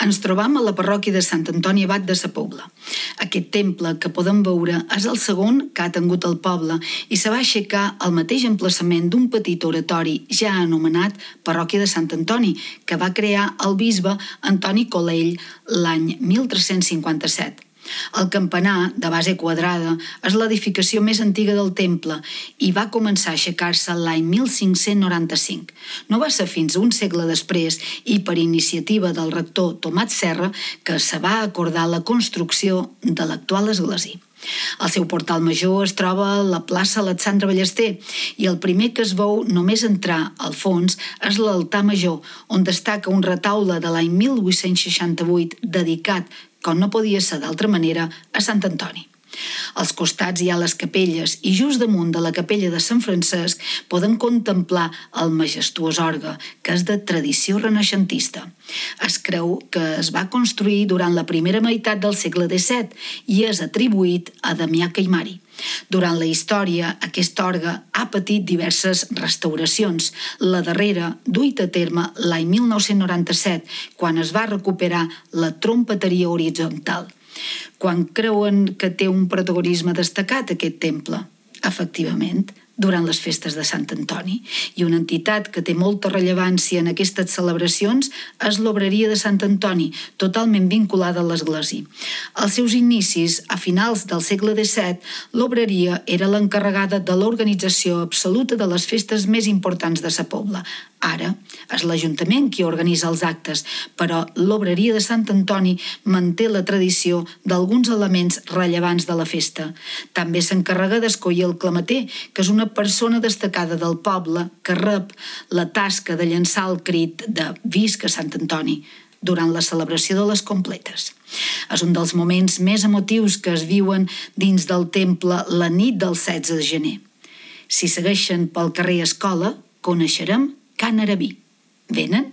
Ens trobam a la parròquia de Sant Antoni Abat de sa Pobla. Aquest temple que podem veure és el segon que ha tingut el poble i se va aixecar al mateix emplaçament d'un petit oratori ja anomenat Parròquia de Sant Antoni, que va crear el bisbe Antoni Colell l'any 1357. El campanar, de base quadrada, és l'edificació més antiga del temple i va començar a aixecar-se l'any 1595. No va ser fins un segle després i per iniciativa del rector Tomat Serra que se va acordar la construcció de l'actual església. El seu portal major es troba a la plaça Alexandre Ballester i el primer que es veu només entrar al fons és l'altar major, on destaca un retaule de l'any 1868 dedicat, com no podia ser d'altra manera, a Sant Antoni. Als costats hi ha les capelles i just damunt de la capella de Sant Francesc podem contemplar el majestuós orgue, que és de tradició renaixentista. Es creu que es va construir durant la primera meitat del segle XVII i és atribuït a Damià Caimari. Durant la història, aquest orgue ha patit diverses restauracions. La darrera, duita a terme l'any 1997, quan es va recuperar la trompeteria horitzontal. Quan creuen que té un protagonisme destacat aquest temple? Efectivament, durant les festes de Sant Antoni, i una entitat que té molta rellevància en aquestes celebracions és l'Obreria de Sant Antoni, totalment vinculada a l'església. Als seus inicis, a finals del segle XVII, l'Obreria era l'encarregada de l'organització absoluta de les festes més importants de sa Pobla. Ara és l'Ajuntament qui organitza els actes, però l'Obreria de Sant Antoni manté la tradició d'alguns elements rellevants de la festa. També s'encarrega d'escollir el clameter, que és una persona destacada del poble que rep la tasca de llançar el crit de «Visca Sant Antoni» durant la celebració de les completes. És un dels moments més emotius que es viuen dins del temple la nit del 16 de gener. Si segueixen pel carrer Escola, coneixerem Can Arabí. Venen?